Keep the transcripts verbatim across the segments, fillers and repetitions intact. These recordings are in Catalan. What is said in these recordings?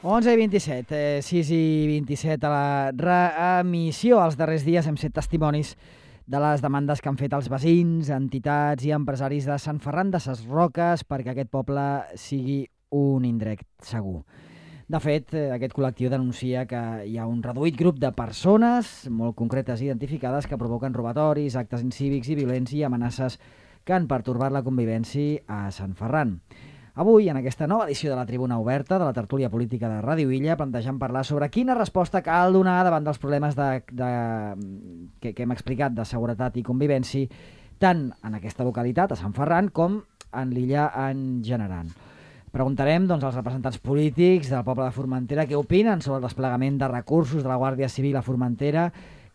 onze i vint-i-set, eh, sis i vint-i-set a la reemissió. Els darrers dies hem set testimonis de les demandes que han fet els veïns, entitats i empresaris de Sant Ferran de Ses Roques perquè aquest poble sigui un indret segur. De fet, aquest col·lectiu denuncia que hi ha un reduït grup de persones molt concretes i identificades que provoquen robatoris, actes incívics i violents i amenaces que han pertorbat la convivència a Sant Ferran. Avui, en aquesta nova edició de la Tribuna Oberta de la tertúlia política de Ràdio Illa, plantejam parlar sobre quina resposta cal donar davant dels problemes de, de, que, que hem explicat de seguretat i convivència, tant en aquesta localitat, a Sant Ferran, com en l'illa en general. Preguntarem doncs, als representants polítics del poble de Formentera què opinen sobre el desplegament de recursos de la Guàrdia Civil a Formentera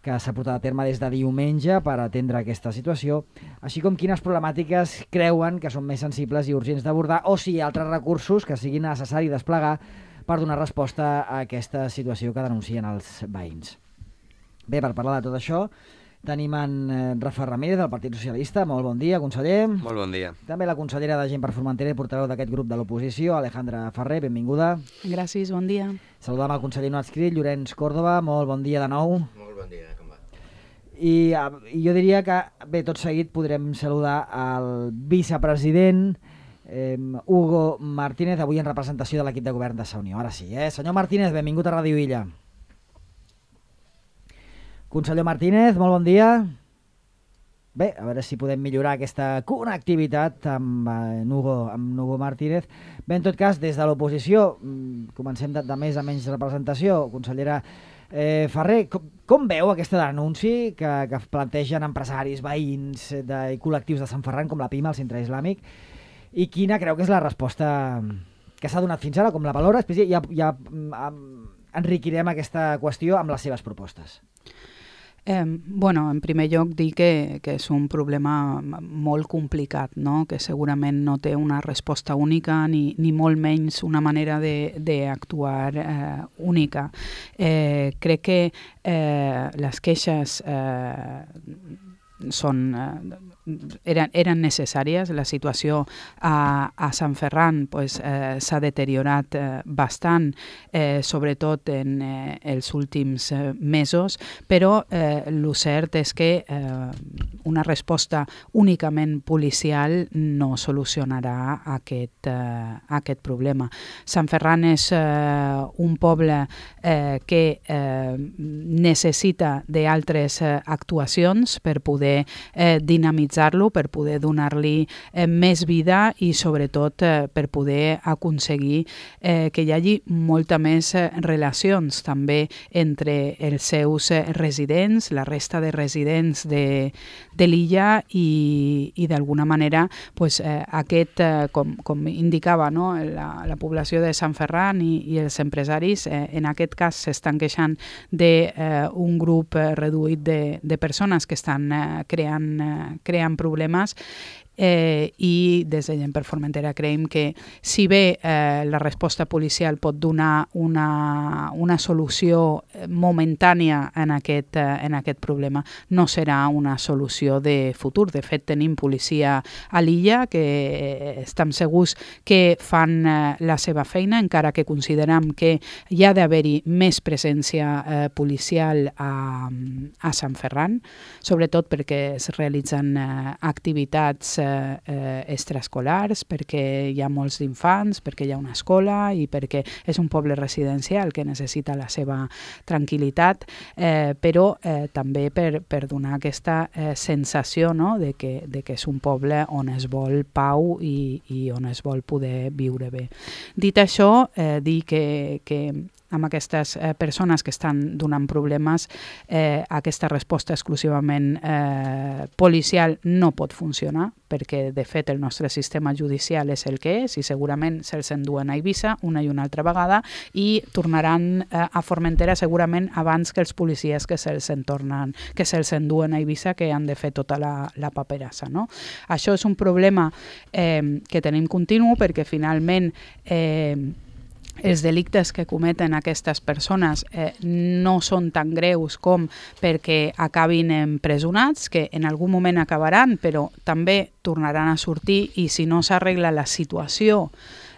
que s'ha portat a terme des de diumenge per atendre aquesta situació, així com quines problemàtiques creuen que són més sensibles i urgents d'abordar o si hi ha altres recursos que siguin necessari desplegar per donar resposta a aquesta situació que denuncien els veïns. Bé, per parlar de tot això, tenim en Rafa Ramírez del Partit Socialista. Molt bon dia, conseller. Molt bon dia. També la consellera de Gent per Formentera i portaveu d'aquest grup de l'oposició, Alejandra Ferrer, benvinguda. Gràcies, bon dia. Saludam el conseller no adscrit, Llorenç Córdoba. Molt bon dia de nou. Molt bon dia, com va? I, I jo diria que, bé, tot seguit podrem saludar el vicepresident eh, Hugo Martínez, avui en representació de l'equip de govern de Sa Unió. Ara sí, eh? Senyor Martínez, benvingut a Ràdio Illa. Conseller Martínez, molt bon dia. Bé, a veure si podem millorar aquesta connectivitat amb, eh, Hugo, amb Hugo Martínez. Bé, en tot cas, des de l'oposició, comencem de, de més a menys representació. Consellera eh, Ferrer, com, com veu aquesta denúncia que, que plantegen empresaris, veïns de, i col·lectius de Sant Ferran, com la PIMA, el Centre Islàmic, i quina creu que és la resposta que s'ha donat fins ara, com la valora? Després ja, ja enriquirem aquesta qüestió amb les seves propostes. Eh, bueno, en primer lloc dir que, que és un problema molt complicat, no? Que segurament no té una resposta única ni, ni molt menys una manera d'actuar eh, única. Eh, crec que eh, les queixes eh, són, eh, eren, eren necessàries. La situació a, a Sant Ferran pues, eh, s'ha deteriorat eh, bastant, eh, sobretot en eh, els últims eh, mesos, però eh, el cert és que eh, una resposta únicament policial no solucionarà aquest, eh, aquest problema. Sant Ferran és eh, un poble eh, que eh, necessita d'altres eh, actuacions per poder eh, dinamitzar-lo, per poder donar-li eh, més vida i sobretot eh, per poder aconseguir eh, que hi hagi molta més eh, relacions també entre els seus eh, residents, la resta de residents de, de l'illa i, i d'alguna manera pues, eh, aquest, eh, com, com indicava no? la, la població de Sant Ferran i, i els empresaris, eh, en aquest cas s'estan queixant d'un eh, grup eh, reduït de, de persones que estan eh, creant, eh, creant problemes. Eh, i des de Gent per Formentera creiem que si bé eh, la resposta policial pot donar una, una solució momentània en aquest, eh, en aquest problema, no serà una solució de futur. De fet, tenim policia a l'illa que eh, estem segurs que fan eh, la seva feina, encara que considerem que hi ha d'haver-hi més presència eh, policial a, a Sant Ferran, sobretot perquè es realitzen eh, activitats Eh, extraescolars, perquè hi ha molts d'infants, perquè hi ha una escola i perquè és un poble residencial que necessita la seva tranquil·litat, eh, però eh, també per, per donar aquesta eh, sensació no? de, que, de que és un poble on es vol pau i, i on es vol poder viure bé. Dit això, eh, dir que, que amb aquestes eh, persones que estan donant problemes, eh, aquesta resposta exclusivament eh, policial no pot funcionar, perquè de fet el nostre sistema judicial és el que és i segurament se'ls enduen a Eivissa una i una altra vegada i tornaran eh, a Formentera segurament abans que els policies que se'ls entornen, que se'ls enduen a Eivissa, que han de fer tota la, la paperassa. No? Això és un problema eh, que tenim continu perquè finalment eh, els delictes que cometen aquestes persones eh, no són tan greus com perquè acabin empresonats, que en algun moment acabaran, però també tornaran a sortir i si no s'arregla la situació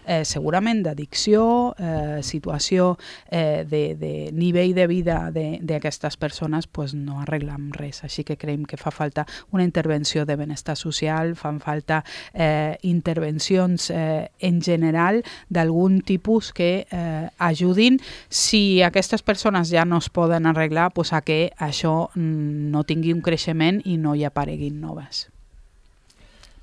eh, segurament d'addicció, eh, situació eh, de, de nivell de vida d'aquestes persones, pues no arreglem res. Així que creiem que fa falta una intervenció de benestar social, fan falta eh, intervencions eh, en general d'algun tipus que eh, ajudin, si aquestes persones ja no es poden arreglar, pues a que això no tingui un creixement i no hi apareguin noves.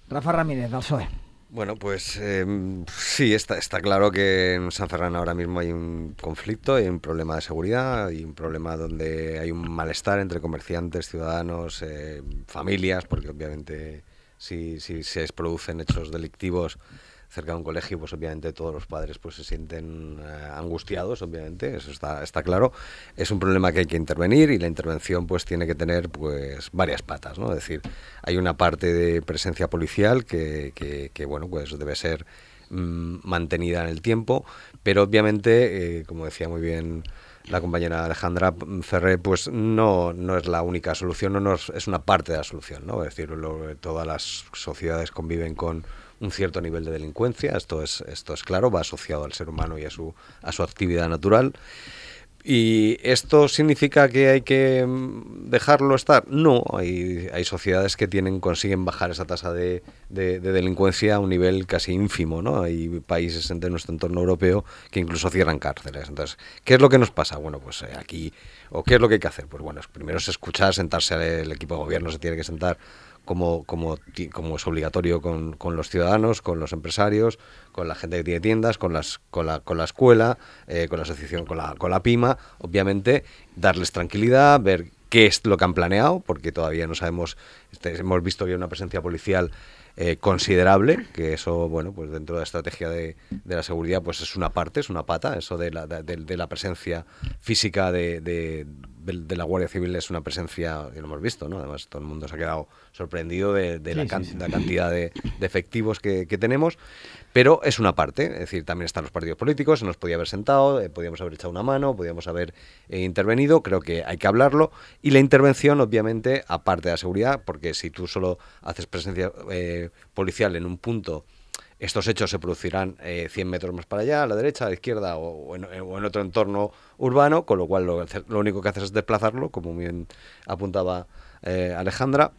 Rafa Ramírez, del P S O E. Bueno, pues eh, sí, está, está claro que en San Ferran ahora mismo hay un conflicto, hay un problema de seguridad, hay un problema donde hay un malestar entre comerciantes, ciudadanos, eh, familias, porque obviamente si, si se producen hechos delictivos cerca de un colegio, pues obviamente todos los padres pues se sienten eh, angustiados, obviamente, eso está, está claro. Es un problema que hay que intervenir y la intervención pues tiene que tener pues varias patas, ¿no? Es decir, hay una parte de presencia policial que, que, que bueno, pues debe ser mmm, mantenida en el tiempo, pero obviamente, eh, como decía muy bien la compañera Alejandra Ferrer, pues no, no es la única solución, no, no es, es una parte de la solución, ¿no? Es decir, lo, todas las sociedades conviven con un cierto nivel de delincuencia, esto es, esto es claro, va asociado al ser humano y a su, a su actividad natural. ¿Y esto significa que hay que dejarlo estar? No, hay, hay sociedades que tienen, consiguen bajar esa tasa de, de, de delincuencia a un nivel casi ínfimo, ¿no? Hay países de nuestro entorno europeo que incluso cierran cárceles. Entonces, ¿qué es lo que nos pasa? Bueno, pues eh, aquí, ¿o qué es lo que hay que hacer? Pues bueno, primero es escuchar, sentarse, el equipo de gobierno se tiene que sentar como, como, como es obligatorio con, con los ciudadanos, con los empresarios, con la gente que tiene tiendas, con las con la con la escuela, eh, con la asociación, con la con la PIMA, obviamente darles tranquilidad, ver qué es lo que han planeado, porque todavía no sabemos, este, hemos visto que hay una presencia policial eh, considerable, que eso, bueno, pues dentro de la estrategia de, de la seguridad, pues es una parte, es una pata, eso de la, de, de la presencia física de, de, de la Guardia Civil es una presencia, que lo hemos visto, ¿no? Además todo el mundo se ha quedado sorprendido de, de sí, la, can, sí, sí. la cantidad de, de efectivos que, que tenemos, pero es una parte, es decir, también están los partidos políticos, se nos podía haber sentado, eh, podíamos haber echado una mano, podíamos haber eh, intervenido, creo que hay que hablarlo, y la intervención, obviamente, aparte de la seguridad, porque si tú solo haces presencia eh, policial en un punto, estos hechos se producirán eh, cien metros más para allá, a la derecha, a la izquierda o, o, en, o en otro entorno urbano, con lo cual lo, lo único que haces es desplazarlo, como bien apuntaba eh, Alejandra.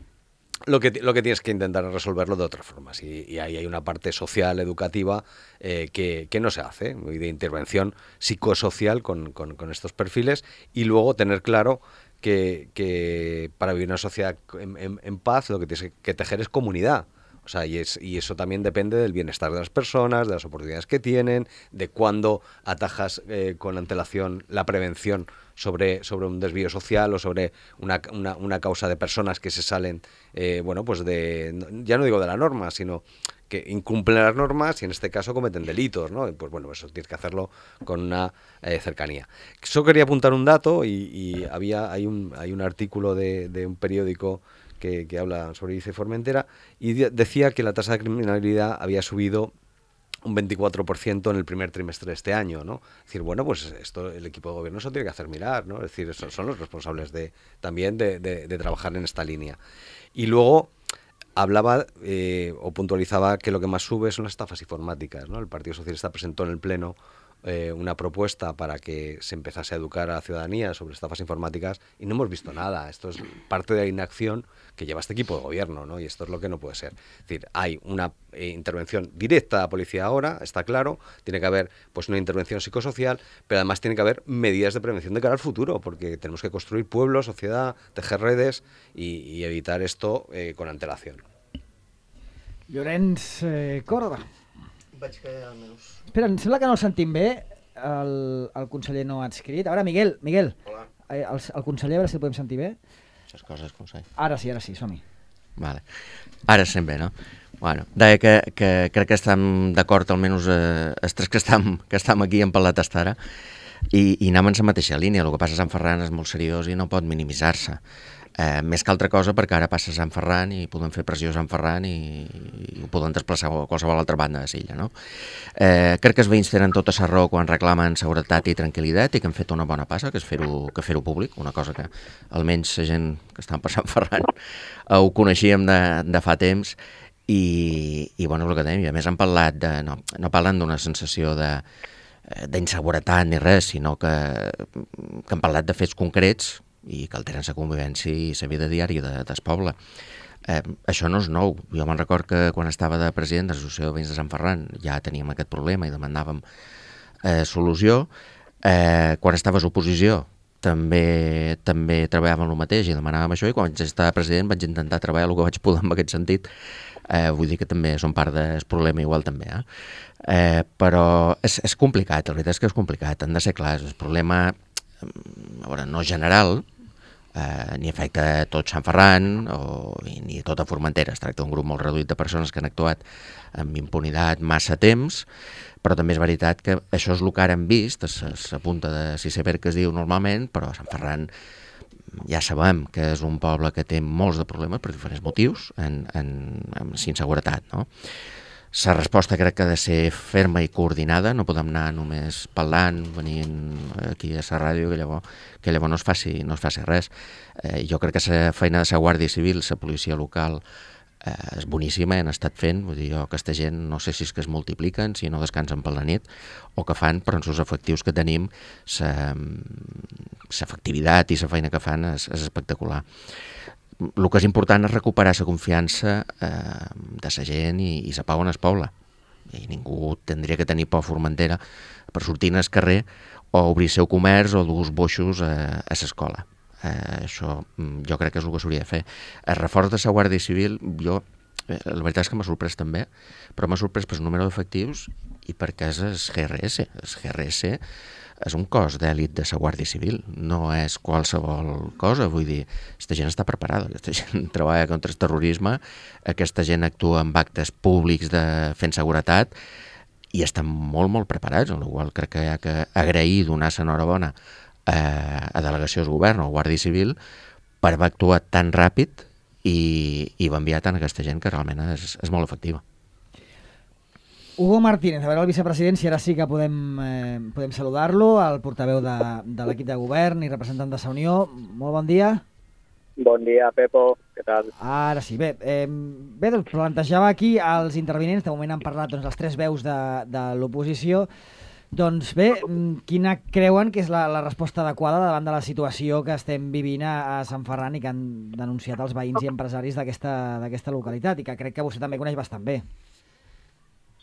Lo que, lo que tienes que intentar es resolverlo de otras formas y, y ahí hay una parte social, educativa eh, que, que no se hace, y de intervención psicosocial con, con, con estos perfiles, y luego tener claro que, que para vivir una sociedad en, en, en paz lo que tienes que tejer es comunidad. O sea, y, es, y eso también depende del bienestar de las personas, de las oportunidades que tienen, de cuándo atajas eh, con antelación la prevención sobre, sobre un desvío social o sobre una, una, una causa de personas que se salen, eh, bueno, pues de, ya no digo de la norma, sino que incumplen las normas y en este caso cometen delitos, ¿no? Y pues bueno, eso tienes que hacerlo con una eh, cercanía. Solo quería apuntar un dato y, y había hay un, hay un artículo de, de un periódico Que, que habla sobre Ibiza y Formentera, y de, decía que la tasa de criminalidad había subido un veinticuatro por ciento en el primer trimestre de este año, ¿no? Es decir, bueno, pues esto el equipo de gobierno se tiene que hacer mirar, ¿no? Es decir, son, son los responsables de también de, de, de trabajar en esta línea. Y luego hablaba eh, o puntualizaba que lo que más sube son las estafas informáticas, ¿no? El Partido Socialista presentó en el Pleno Eh, una propuesta para que se empezase a educar a la ciudadanía sobre estafas informáticas y no hemos visto nada. Esto es parte de la inacción que lleva este equipo de gobierno, ¿no? Y esto es lo que no puede ser. Es decir, hay una eh, intervención directa a la policía ahora, está claro, tiene que haber pues una intervención psicosocial, pero además tiene que haber medidas de prevención de cara al futuro, porque tenemos que construir pueblos, sociedad, tejer redes y, y evitar esto eh, con antelación. Llorenç eh, Córdoba. Vaig callar almenys. Espera, em sembla que no el sentim bé, el, el conseller no ha adscrit. Ara, Miguel, Miguel, Hola. El, el conseller, a veure si el podem sentir bé. Les coses com són. Ara sí, ara sí, som-hi. Vale. Ara sent bé, no? Bueno, deia que, que crec que estem d'acord, almenys eh, els tres que estem, que estem aquí en parlat hasta ara, i, i anem en la mateixa línia. El que passa a Sant Ferran és molt seriós i no pot minimitzar-se. Eh, més que altra cosa perquè ara passa a Sant Ferran i podem fer pressió a Sant Ferran i, i ho podem desplaçar a qualsevol altra banda de l'illa, no? Eh, crec que els veïns tenen tota la raó quan reclamen seguretat i tranquil·litat i que han fet una bona passa, que és fer-ho que fer-ho públic, una cosa que almenys la gent que està per Sant Ferran ho coneixíem de, de fa temps, i, i bueno, el que dèiem, i a més han parlat de, no, no parlen d'una sensació de d'inseguretat ni res, sinó que, que han parlat de fets concrets i que alteren la convivència i la vida diària de, del poble. Eh, això no és nou. Jo me'n record que quan estava de president de l'Associació de Veïns de Sant Ferran ja teníem aquest problema i demanàvem eh, solució. Eh, quan estaves a oposició també també treballàvem el mateix i demanàvem això, i quan vaig estar president vaig intentar treballar el que vaig poder en aquest sentit. Eh, vull dir que també són part del problema igual també. Eh? Eh, però és, és complicat, la veritat és que és complicat, han de ser clars. El problema, a veure, no general, eh, ni afecta a tot Sant Ferran o, ni a tota Formentera. Es tracta d'un grup molt reduït de persones que han actuat amb impunitat massa temps, però també és veritat que això és el que ara hem vist, s'apunta de l'iceberg que es diu normalment, però Sant Ferran ja sabem que és un poble que té molts de problemes per diferents motius, en, en, en inseguretat, no? La resposta crec que ha de ser ferma i coordinada, no podem anar només parlant, venint aquí a la ràdio, que llavors, que llavors no es faci, no es faci res. Eh, jo crec que la feina de la Guàrdia Civil, la policia local, eh, és boníssima, han estat fent, vull dir, jo, aquesta gent no sé si és que es multipliquen, si no descansen per la nit, o que fan, però en els efectius que tenim, l'efectivitat i la feina que fan és, és espectacular. El que és important és recuperar la confiança eh, de la gent i, i la pau en el poble. I ningú tindria que tenir por a Formentera per sortir al carrer o obrir el seu comerç o dur boixos a, a l'escola. Eh, això jo crec que és el que s'hauria de fer. El reforç de la Guàrdia Civil, jo, eh, la veritat és que m'ha sorprès també, però m'ha sorprès pel número d'efectius i perquè és el G R S. El G R S és un cos d'èlit de la Guàrdia Civil, no és qualsevol cosa, vull dir, aquesta gent està preparada, aquesta gent treballa contra el terrorisme, aquesta gent actua en actes públics de fent seguretat i estan molt, molt preparats, amb la qual crec que hi ha que agrair, donar l'enhorabona a, a delegacions de govern o Guàrdia Civil per haver actuat tan ràpid i, i va enviar tant aquesta gent que realment és, és molt efectiva. Hugo Martínez, a veure el vicepresident, si ara sí que podem, eh, podem saludar-lo, el portaveu de, de l'equip de govern i representant de la Unió. Molt bon dia. Bon dia, Pepo. Què tal? Ara sí. Bé, eh, bé doncs plantejava aquí els intervinents, de moment han parlat doncs, les tres veus de, de l'oposició. Doncs bé, quina creuen que és la, la resposta adequada davant de la situació que estem vivint a, a Sant Ferran i que han denunciat els veïns i empresaris d'aquesta d'aquesta localitat i que crec que vostè també coneix bastant bé?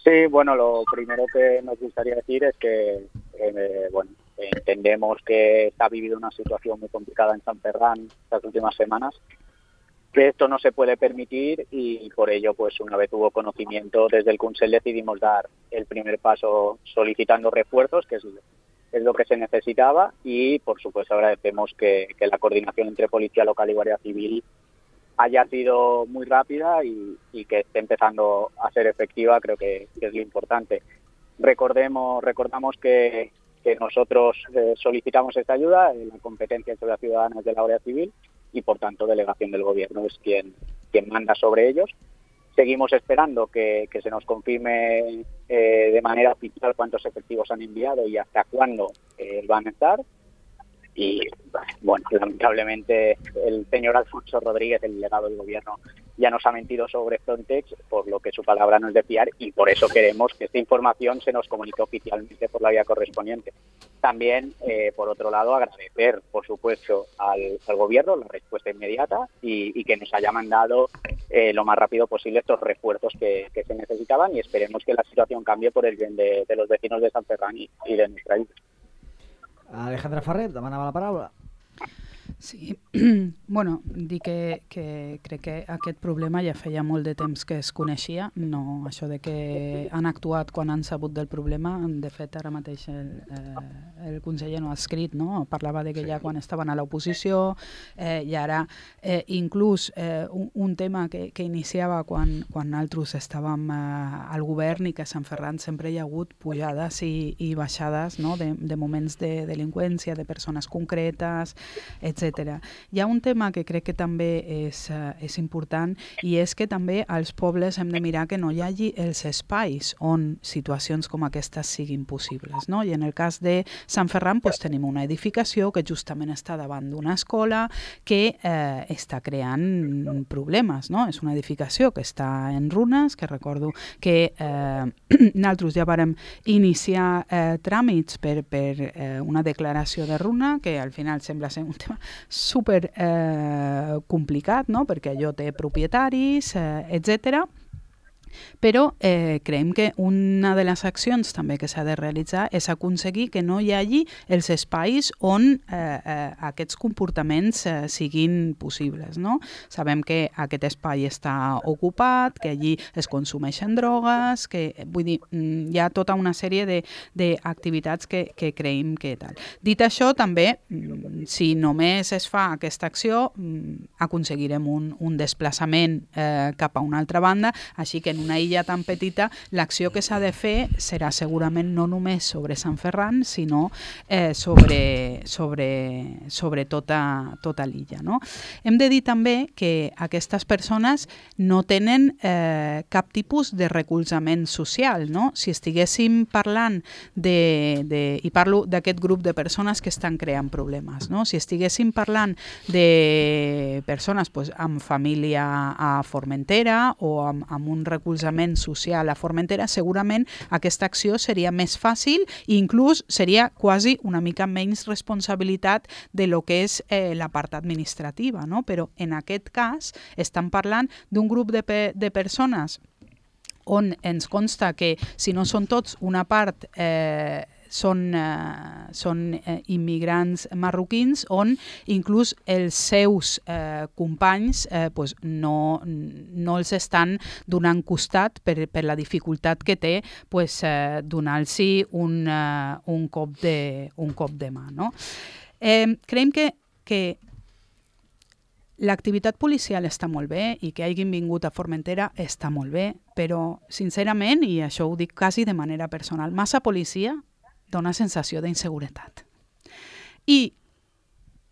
Sí, bueno, lo primero que nos gustaría decir es que, eh, bueno, entendemos que se ha vivido una situación muy complicada en Sant Ferran estas últimas semanas, que esto no se puede permitir y por ello, pues una vez hubo conocimiento, desde el Consell decidimos dar el primer paso solicitando refuerzos, que es, es lo que se necesitaba, y por supuesto agradecemos que, que la coordinación entre Policía Local y Guardia Civil haya sido muy rápida y, y que esté empezando a ser efectiva, creo que, que es lo importante. Recordemos, recordamos que, que nosotros eh, solicitamos esta ayuda, la competencia sobre la ciudadana es de la Guardia Civil y por tanto delegación del Gobierno es quien, quien manda sobre ellos. Seguimos esperando que, que se nos confirme eh, de manera oficial cuántos efectivos han enviado y hasta cuándo eh, van a estar. Y bueno, lamentablemente el señor Alfonso Rodríguez, el delegado del Gobierno, ya nos ha mentido sobre Frontex, por lo que su palabra no es de fiar y por eso queremos que esta información se nos comunique oficialmente por la vía correspondiente. También, eh, por otro lado, agradecer, por supuesto, al, al Gobierno la respuesta inmediata y, y que nos haya mandado eh, lo más rápido posible estos refuerzos que, que se necesitaban y esperemos que la situación cambie por el bien de, de los vecinos de Sant Ferran y, y de nuestra isla. Alejandra Ferrer, demanava la paraula. Sí, bueno, dir que, que crec que aquest problema ja feia molt de temps que es coneixia, no això de que han actuat quan han sabut del problema, de fet ara mateix el, eh, el conseller no ha escrit, no? Parlava de que ja quan estaven a l'oposició eh, i ara eh, inclús eh, un, un tema que, que iniciava quan, quan nosaltres estàvem eh, al govern i que a Sant Ferran sempre hi ha hagut pujades i, i baixades, no? de, de moments de delinqüència, de persones concretes, etcètera etcètera. Hi ha un tema que crec que també és, uh, és important i és que també als pobles hem de mirar que no hi hagi els espais on situacions com aquestes siguin possibles, no? I en el cas de Sant Ferran pues, tenim una edificació que justament està davant d'una escola que eh, està creant problemes, no? És una edificació que està en runes, que recordo que eh, nosaltres ja vàrem iniciar eh, tràmits per, per eh, una declaració de runa, que al final sembla ser un tema super eh, complicat, no? Perquè allò té propietaris, eh, etcètera. Però eh, creiem que una de les accions també que s'ha de realitzar és aconseguir que no hi hagi els espais on eh, eh, aquests comportaments eh, siguin possibles, no? Sabem que aquest espai està ocupat, que allí es consumeixen drogues, que vull dir, hi ha tota una sèrie d'activitats que, que creiem que tal. Dit això, també, si només es fa aquesta acció, aconseguirem un, un desplaçament eh, cap a una altra banda, així que en una illa tan petita, l'acció que s'ha de fer serà segurament no només sobre Sant Ferran, sinó eh, sobre, sobre, sobre tota, tota l'illa. No? Hem de dir també que aquestes persones no tenen eh, cap tipus de recolzament social. No? Si estiguéssim parlant de, de, i parlo d'aquest grup de persones que estan creant problemes, no? Si estiguéssim parlant de persones pues, amb família a Formentera o amb, amb un recolzament social a Formentera, segurament aquesta acció seria més fàcil i inclús seria quasi una mica menys responsabilitat de lo que és eh, la part administrativa, no? Però en aquest cas estan parlant d'un grup de, pe de persones on ens consta que, si no són tots, una part eh, són, eh, són eh, immigrants marroquins on inclús els seus eh, companys eh, pues no, no els estan donant costat per, per la dificultat que té pues, eh, donar-los un, uh, un, cop de, un cop de mà. No? Eh, creiem que, que l'activitat policial està molt bé i que hagin vingut a Formentera està molt bé, però sincerament, i això ho dic quasi de manera personal, massa policia dona sensació d'inseguretat. I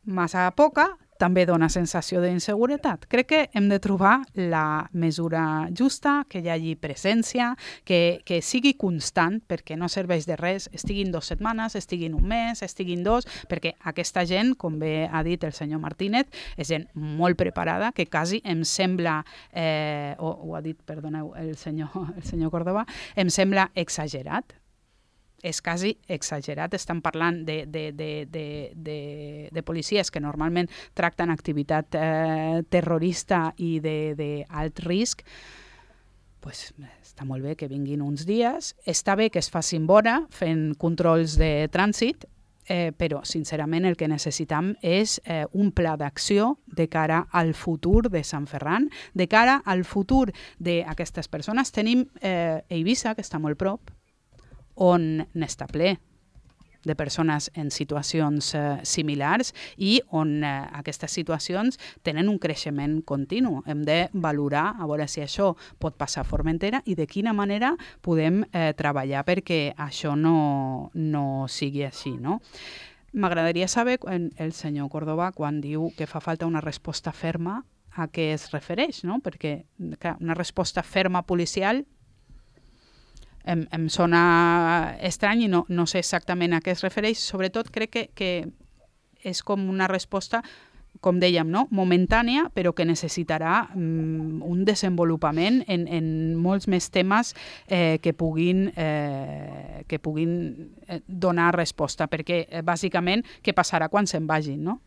massa poca també dona sensació d'inseguretat. Crec que hem de trobar la mesura justa, que hi hagi presència, que, que sigui constant, perquè no serveix de res, estiguin dues setmanes, estiguin un mes, estiguin dos, perquè aquesta gent, com bé ha dit el senyor Martínez, és gent molt preparada, que quasi em sembla, eh, o ho ha dit, perdoneu, el senyor, el senyor Córdoba, em sembla exagerat. És quasi exagerat. Estan parlant de, de, de, de, de, de policies que normalment tracten activitat eh, terrorista i d'alt risc. Pues, està molt bé que vinguin uns dies. Està bé que es facin vora fent controls de trànsit, eh, però sincerament el que necessitam és eh, un pla d'acció de cara al futur de Sant Ferran, de cara al futur d'aquestes persones. Tenim eh, Eivissa, que està molt prop, on n'està ple de persones en situacions eh, similars i on eh, aquestes situacions tenen un creixement continu. Hem de valorar a veure si això pot passar a Formentera i de quina manera podem eh, treballar perquè això no, no sigui així. No? M'agradaria saber, el senyor Córdoba, quan diu que fa falta una resposta ferma, a què es refereix, no? Perquè clar, una resposta ferma policial Em, em sona estrany i no, no sé exactament a què es refereix. Sobretot crec que, que és com una resposta, com dèiem, no? momentània, però que necessitarà um, un desenvolupament en, en molts més temes eh, que puguin, eh, que puguin donar resposta, perquè eh, bàsicament què passarà quan se'n vagin, no?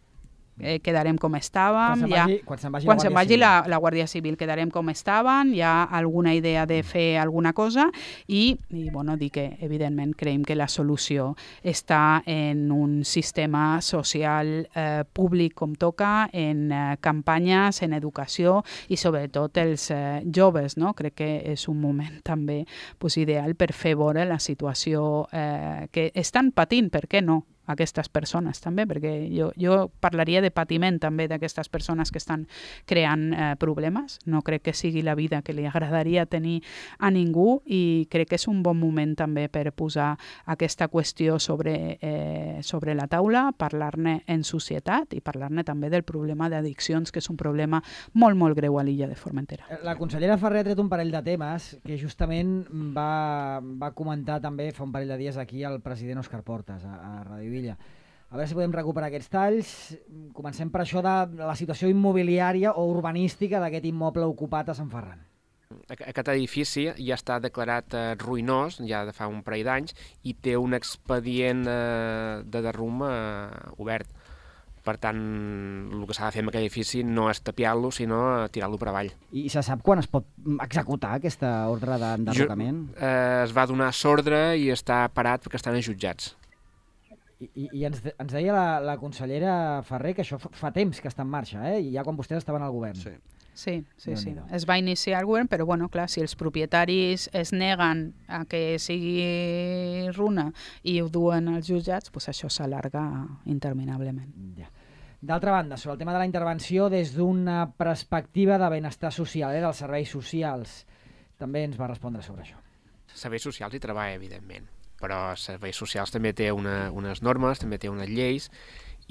Eh, quedarem com estàvem, quan se'n vagi, quan se'n vagi, quan la, se'n vagi la, la Guàrdia Civil quedarem com estàvem, hi ha alguna idea de fer alguna cosa i, i bueno, dir que evidentment creiem que la solució està en un sistema social eh, públic com toca, en eh, campanyes, en educació i sobretot els eh, joves, no? Crec que és un moment també pues, ideal per fer veure la situació eh, que estan patint, per què no? aquestes persones també, perquè jo, jo parlaria de patiment també d'aquestes persones que estan creant eh, problemes. No crec que sigui la vida que li agradaria tenir a ningú i crec que és un bon moment també per posar aquesta qüestió sobre, eh, sobre la taula, parlar-ne en societat i parlar-ne també del problema d'addiccions, que és un problema molt, molt greu a l'illa de Formentera. La consellera Ferrer ha tret un parell de temes que justament va, va comentar també fa un parell de dies aquí el president Òscar Portas a, a Radio Villa. A veure si podem recuperar aquests talls. Comencem per això de la situació immobiliària o urbanística d'aquest immoble ocupat a Sant Ferran. Aquest edifici ja està declarat eh, ruïnós, ja de fa un parell d'anys, i té un expedient eh, de derrum eh, obert. Per tant, el que s'ha de fer amb aquell edifici no és tapiar-lo, sinó tirar-lo per avall. I se sap quan es pot executar aquesta ordre d'enderrocament? Eh, es va donar s'ordre i està parat perquè estan jutjats. I, i ens, ens deia la, la consellera Ferrer que això fa, fa temps que està en marxa, eh? I ja quan vostès estaven al govern. Sí. Sí, sí, sí. Es va iniciar el govern, però bueno, clar, si els propietaris es neguen a que sigui runa i ho duen als jutjats, doncs això s'allarga interminablement. Ja. D'altra banda, sobre el tema de la intervenció des d'una perspectiva de benestar social, eh, dels serveis socials, també ens va respondre sobre això. Serveis socials hi treballa, evidentment, però serveis socials també té una, unes normes, també té unes lleis,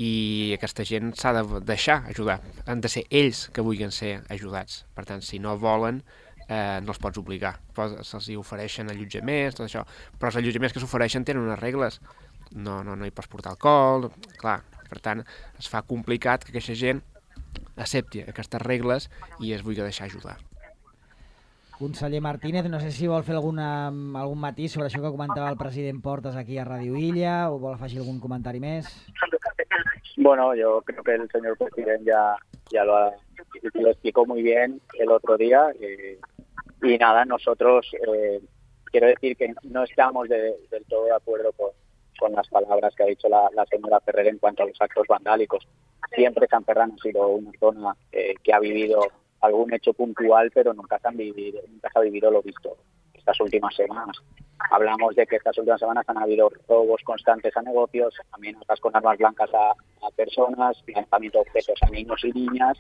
i aquesta gent s'ha de deixar ajudar. Han de ser ells que vulguin ser ajudats. Per tant, si no volen, eh, no els pots obligar. Se'ls ofereixen allotjaments, tot això, però els allotjaments que s'ofereixen tenen unes regles. No, no, no hi pots portar alcohol, clar. Per tant, es fa complicat que aquesta gent accepti aquestes regles i es vulgui deixar ajudar. Conseller Martínez, no sé si vol fer alguna, algun matís sobre això que comentava el president Portas aquí a Radio Illa, o vol afegir algún comentario més. Bueno, yo creo que el señor presidente ya, ya lo, ha, lo explicó muy bien el otro día. Eh, y nada, nosotros eh, quiero decir que no estamos de, del todo de acuerdo con, con las palabras que ha dicho la, la señora Ferrer en cuanto a los actos vandálicos. Siempre San Ferran ha sido una zona eh, que ha vivido algún hecho puntual, pero nunca se, han vivido, nunca se ha vivido lo visto estas últimas semanas. Hablamos de que estas últimas semanas han habido robos constantes a negocios, amenazas con armas blancas a, a personas, lanzamiento de objetos a niños y niñas.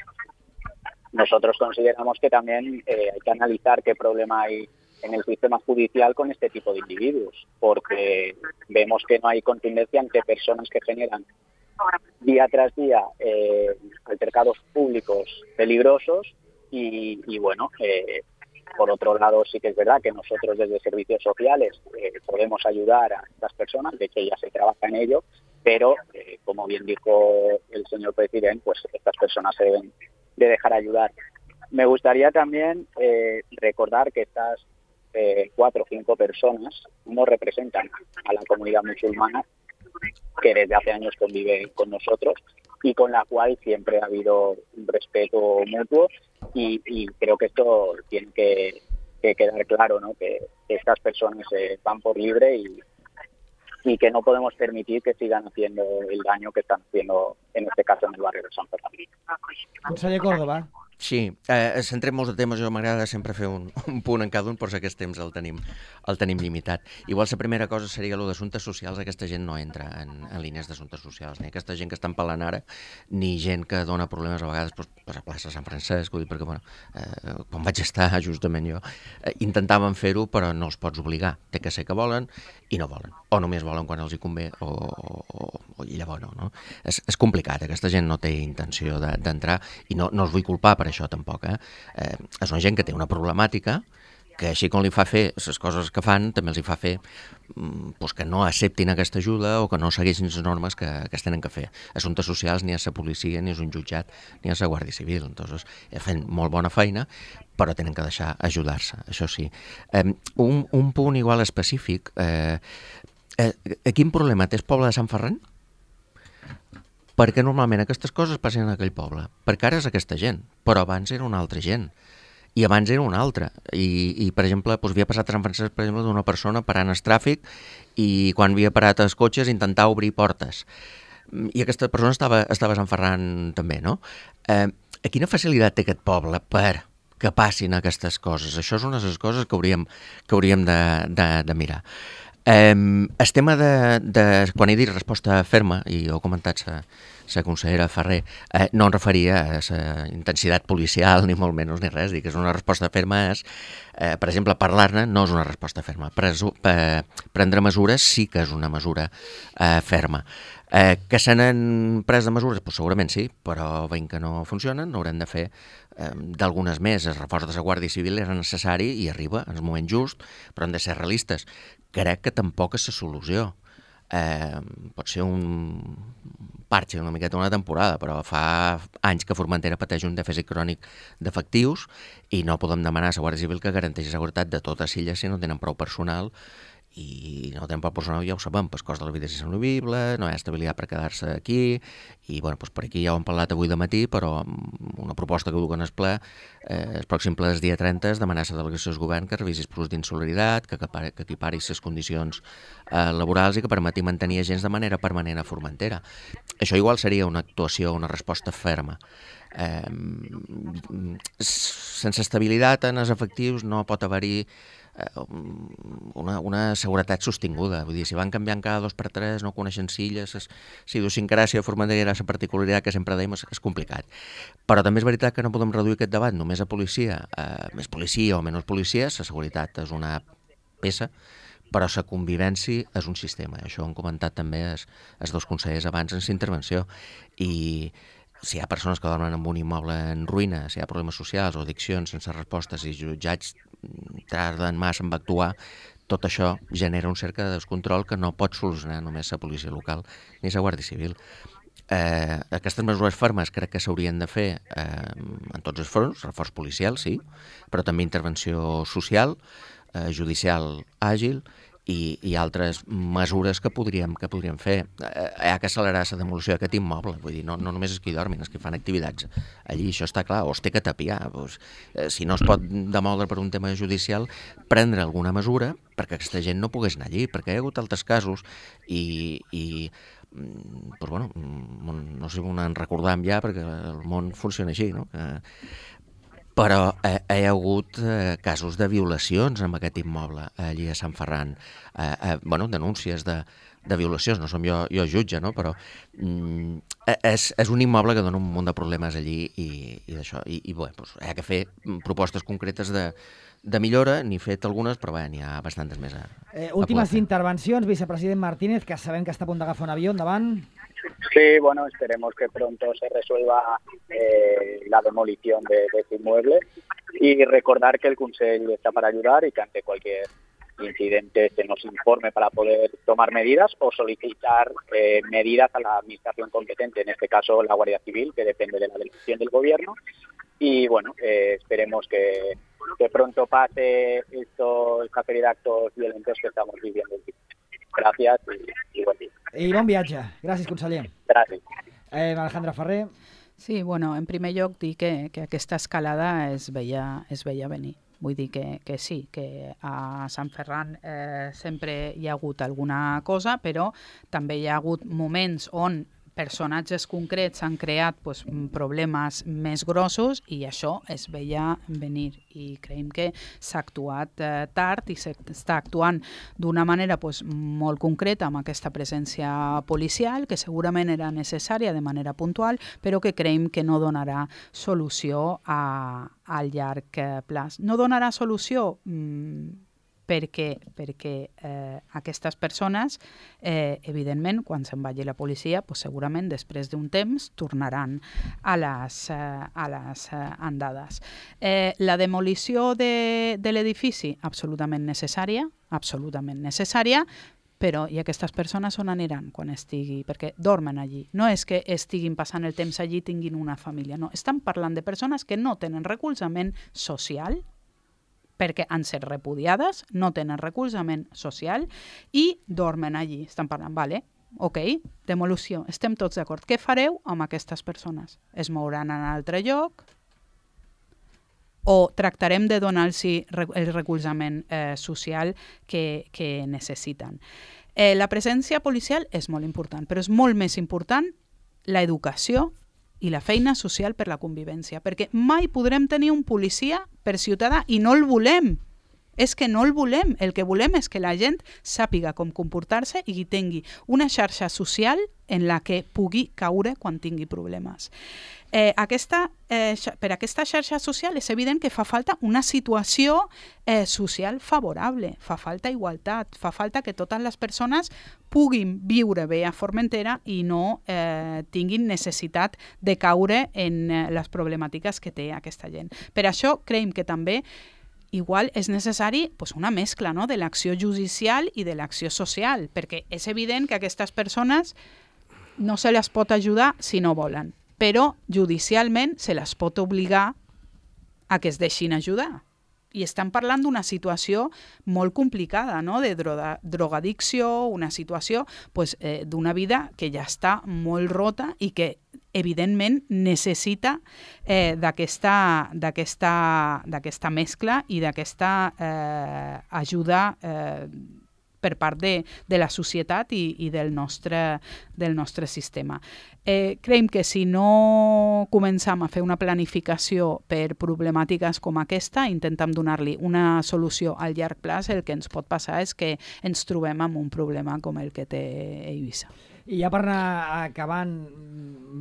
Nosotros consideramos que también eh, hay que analizar qué problema hay en el sistema judicial con este tipo de individuos, porque vemos que no hay contundencia ante personas que generan día tras día eh, altercados públicos peligrosos y, y bueno, eh, por otro lado sí que es verdad que nosotros desde servicios sociales eh, podemos ayudar a estas personas, de hecho ya se trabaja en ello, pero eh, como bien dijo el señor presidente, pues estas personas se deben de dejar ayudar. Me gustaría también eh, recordar que estas eh, cuatro o cinco personas no representan a la comunidad musulmana que desde hace años convive con nosotros y con la cual siempre ha habido un respeto mutuo y, y creo que esto tiene que, que quedar claro, ¿no? Que, que estas personas eh, van por libre y, y que no podemos permitir que sigan haciendo el daño que están haciendo, en este caso, en el barrio de Sant Ferran. Conseller Córdoba. Sí, eh, centrem molts de temes, jo m'agrada sempre fer un, un punt en cada un, però aquest temps el tenim, el tenim limitat. Igual la primera cosa seria el d'assumptes socials, aquesta gent no entra en, en línies d'assumptes socials, ni aquesta gent que estan pelant ara, ni gent que dona problemes a vegades pues, pues a plaça Sant Francesc, vull dir, perquè bueno, eh, quan vaig estar justament jo, eh, intentaven fer-ho però no els pots obligar, té que ser que volen i no volen, o només volen quan els hi convé o, o, o i llavors no, no? És, és complicat, aquesta gent no té intenció d'entrar i no, no els vull culpar per això tampoc, eh? Eh, és una gent que té una problemàtica que així com li fa fer les coses que fan, també els hi fa fer pues, que no acceptin aquesta ajuda o que no segueixin les normes que, que es tenen que fer. Assumptes socials ni és la policia, ni és un jutjat, ni és la Guàrdia Civil. Entonces, fan molt bona feina, però tenen que deixar ajudar-se, això sí. Eh, un, un punt igual específic, eh, eh, quin problema té el poble de Sant Ferran? Perquè normalment aquestes coses passen en aquell poble. Perquè ara és aquesta gent, però abans era una altra gent. I abans era una altra. I, i per exemple, doncs, havia passat a Sant Francesc, per exemple, d'una persona parant el tràfic i quan havia parat els cotxes intentar obrir portes. I aquesta persona estava, estava a Sant Ferran també, no? Eh, quina facilitat té aquest poble per que passin aquestes coses? Això és una de les coses que hauríem, que hauríem de, de, de mirar. Eh, el tema de, de... Quan he dit resposta ferma, i ho ha comentat la consellera Ferrer, eh, no em referia a la intensitat policial, ni molt menys, ni res. Dic que és una resposta ferma és, eh, per exemple, parlar-ne no és una resposta ferma. Presu, eh, prendre mesures sí que és una mesura eh, ferma. Eh, que se n'han pres de mesures? Pues segurament sí, però veient que no funcionen, n'haurem de fer eh, d'algunes més. El reforç de la Guàrdia Civil era necessari i arriba en el moment just, però hem de ser realistes. Crec que tampoc és la solució. Eh, pot ser un parxe una miqueta una temporada, però fa anys que Formentera pateix un dèficit crònic d'efectius i no podem demanar a la Guàrdia Civil que garanteixi la seguretat de totes illes si no tenen prou personal, i no tenen prou personal, ja ho sabem, el cost de la vida és insalvible, no hi ha estabilitat per quedar-se aquí, i bueno, doncs per aquí ja ho hem parlat avui de matí, però una proposta que duc en el ple, eh, el pròxim ple del dia trenta és demanar a la delegació del govern que revisi els plus d'insolidaritat, que, que equipari les condicions eh, laborals i que permeti mantenir agents de manera permanent a Formentera. Això igual seria una actuació, una resposta ferma. Eh, sense estabilitat en els efectius no pot haver-hi Una, una seguretat sostinguda. Vull dir, si van canviant cada dos per tres, no coneixen silles, és, si idiosincràsia de Formentera era la particularitat que sempre dèiem, és, és complicat. Però també és veritat que no podem reduir aquest debat només a policia, eh, més policia o menys policia. La seguretat és una peça, però la convivència és un sistema. Això ho han comentat també els, els dos consellers abans en la intervenció. I si hi ha persones que dormen en un immoble en ruïna, si hi ha problemes socials o addiccions sense respostes i jutjats tarden massa en actuar, tot això genera un cercle de descontrol que no pot solucionar només la policia local ni la Guàrdia Civil. Eh, aquestes mesures fermes crec que s'haurien de fer eh, en tots els fronts, reforç policial, sí, però també intervenció social, eh, judicial àgil, I, i altres mesures que podríem, que podríem fer. Eh, hi ha que accelerar la demolició d'aquest immoble, vull dir, no, no només és que hi dormin, és que fan activitats allí, això està clar, o es té que tapiar. Doncs, eh, si no es pot demoldre per un tema judicial, prendre alguna mesura perquè aquesta gent no pogués anar allí, perquè hi ha hagut altres casos i, i doncs, bueno, no sé on en recordam ja, perquè el món funciona així, no? Que, però eh, hi ha hagut eh, casos de violacions en aquest immoble allí a Sant Ferran, eh, eh, bueno, denúncies de, de violacions, no som jo, jo jutge, no? Però mm, és, és un immoble que dona un munt de problemes allí i, i d'això, i, i bé, doncs, hi ha que fer propostes concretes de, de millora, n'he fet algunes, però bé, n'hi ha bastantes més a, eh, Últimes a intervencions, vicepresident Martínez, que sabem que està a punt d'agafar un avió, endavant. Sí, bueno, esperemos que pronto se resuelva eh, la demolición de, de este inmueble y recordar que el Consell está para ayudar y que ante cualquier incidente se nos informe para poder tomar medidas o solicitar eh, medidas a la administración competente, en este caso la Guardia Civil, que depende de la delegación del Gobierno. Y bueno, eh, esperemos que, que pronto pase esto, esta serie de actos violentos que estamos viviendo. Gràcies i, i bon dia. I bon viatge. Gràcies, conseller. Gràcies. Eh, Alejandra Ferrer. Sí, bueno, en primer lloc dir que, que aquesta escalada es veia, es veia venir. Vull dir que, que sí, que a Sant Ferran eh, sempre hi ha hagut alguna cosa, però també hi ha hagut moments on personatges concrets han creat pues, problemes més grossos i això es veia venir i creiem que s'ha actuat eh, tard i s'està actuant d'una manera pues, molt concreta amb aquesta presència policial que segurament era necessària de manera puntual però que creiem que no donarà solució a, a llarg plaç. No donarà solució mmm, perquè, perquè eh, aquestes persones, eh, evidentment, quan se'n vagi la policia, pues, segurament després d'un temps tornaran a les, eh, a les eh, andades. Eh, la demolició de, de l'edifici, absolutament necessària, absolutament necessària, però i aquestes persones on aniran quan estigui? Perquè dormen allí. No és que estiguin passant el temps allí i tinguin una família, no. Estan parlant de persones que no tenen recolzament social, perquè han set repudiades, no tenen recolzament social i dormen allí. Estan parlant, vale, ok, demolició, estem tots d'acord. Què fareu amb aquestes persones? Es mouran a un altre lloc o tractarem de donar-los el recolzament eh, social que, que necessiten? Eh, la presència policial és molt important, però és molt més important l'educació i la feina social per la convivència, perquè mai podrem tenir un policia per ciutadà i no el volem, És que no el volem. El que volem és que la gent sàpiga com comportar-se i que tingui una xarxa social en la que pugui caure quan tingui problemes. Eh, aquesta, eh, per aquesta xarxa social és evident que fa falta una situació eh, social favorable, fa falta igualtat, fa falta que totes les persones puguin viure bé a Formentera i no eh, tinguin necessitat de caure en eh, les problemàtiques que té aquesta gent. Per això creiem que també igual és necessari pues, una mescla, no?, de l'acció judicial i de l'acció social, perquè és evident que aquestes persones no se les pot ajudar si no volen, però judicialment se les pot obligar a que es deixin ajudar. I estan parlant d'una situació molt complicada, no?, de droga, drogadicció, una situació pues, eh, d'una vida que ja està molt rota i que evidentment necessita eh, d'aquesta d'aquesta mescla i d'aquesta eh, ajuda eh, per part de, de la societat i, i del, nostre, del nostre sistema. Eh, creiem que si no començam a fer una planificació per problemàtiques com aquesta, intentem donar-li una solució al llarg plaç, el que ens pot passar és que ens trobem amb un problema com el que té Eivissa. I ja per anar acabant,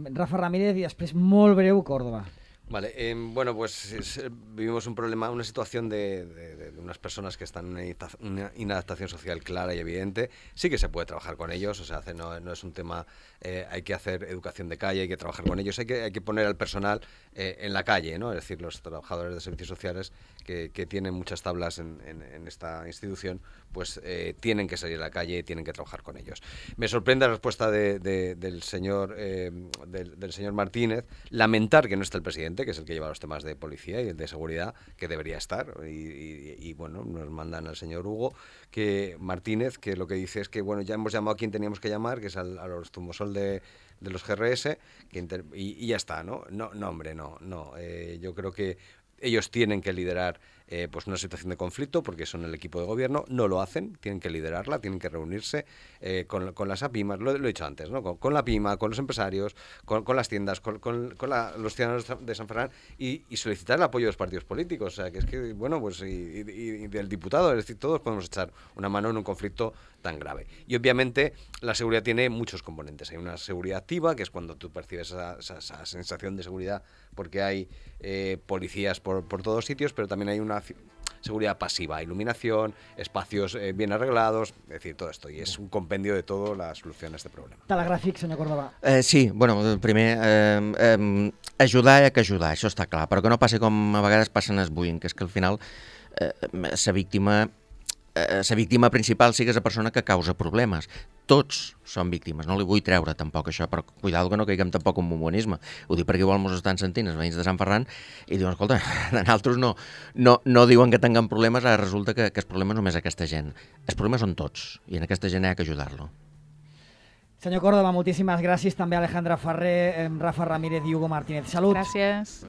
Rafa Ramírez i després molt breu Córdoba. Vale, eh, bueno, pues es, vivimos un problema, una situación de, de, de unas personas que están en una inadaptación social clara y evidente. Sí que se puede trabajar con ellos, o sea, hace, no, no es un tema, eh, hay que hacer educación de calle, hay que trabajar con ellos, hay que, hay que poner al personal eh, en la calle, ¿no? Es decir, los trabajadores de servicios sociales que, que tienen muchas tablas en, en, en esta institución, pues eh, tienen que salir a la calle y tienen que trabajar con ellos. Me sorprende la respuesta de, de, del, señor, eh, del, del señor Martínez, lamentar que no esté el presidente, que es el que lleva los temas de policía y el de seguridad, que debería estar. Y, y, y bueno, nos mandan al señor Hugo que Martínez, que lo que dice es que bueno, ya hemos llamado a quien teníamos que llamar, que es al, a los Zumosol de, de los G R S, que inter, y, y ya está, ¿no? No, no hombre, no, no. Eh, yo creo que ellos tienen que liderar eh, pues una situación de conflicto porque son el equipo de gobierno, no lo hacen, tienen que liderarla, tienen que reunirse eh, con, con las APIMAs, lo, lo he dicho antes, ¿no? con, con la PIMA, con los empresarios, con, con las tiendas, con, con, con la, los ciudadanos de San Ferran y, y solicitar el apoyo de los partidos políticos, o sea, que es que, bueno, pues y, y, y del diputado, es decir, todos podemos echar una mano en un conflicto tan grave. Y obviamente la seguridad tiene muchos componentes. Hay una seguridad activa, que es cuando tú percibes esa, esa, esa sensación de seguridad porque hay eh, policías por, por todos sitios, pero también hay una seguridad pasiva, iluminación, espacios eh, bien arreglados, es decir, todo esto. Y es un compendio de todo la solución a este problema. Telegràfic, senyor Córdoba. Eh, sí, bueno, primer, eh, eh, ajudar hi ha que ajudar, això està clar, però que no passi com a vegades passen es buint, que és que al final eh, la víctima eh, la víctima principal sigui la persona que causa problemes. Tots són víctimes, no li vull treure tampoc això, però cuidado que no caiguem tampoc en bombonisme. Ho dic perquè igual mos estan sentint els veïns de Sant Ferran i diuen, escolta, nosaltres no, no, no diuen que tinguem problemes, ara resulta que, que els problemes només aquesta gent. Els problemes són tots i en aquesta gent hi ha que ajudar-lo. Senyor Córdoba, moltíssimes gràcies. També Alejandra Ferrer, Rafa Ramírez i Hugo Martínez. Salut. Gràcies.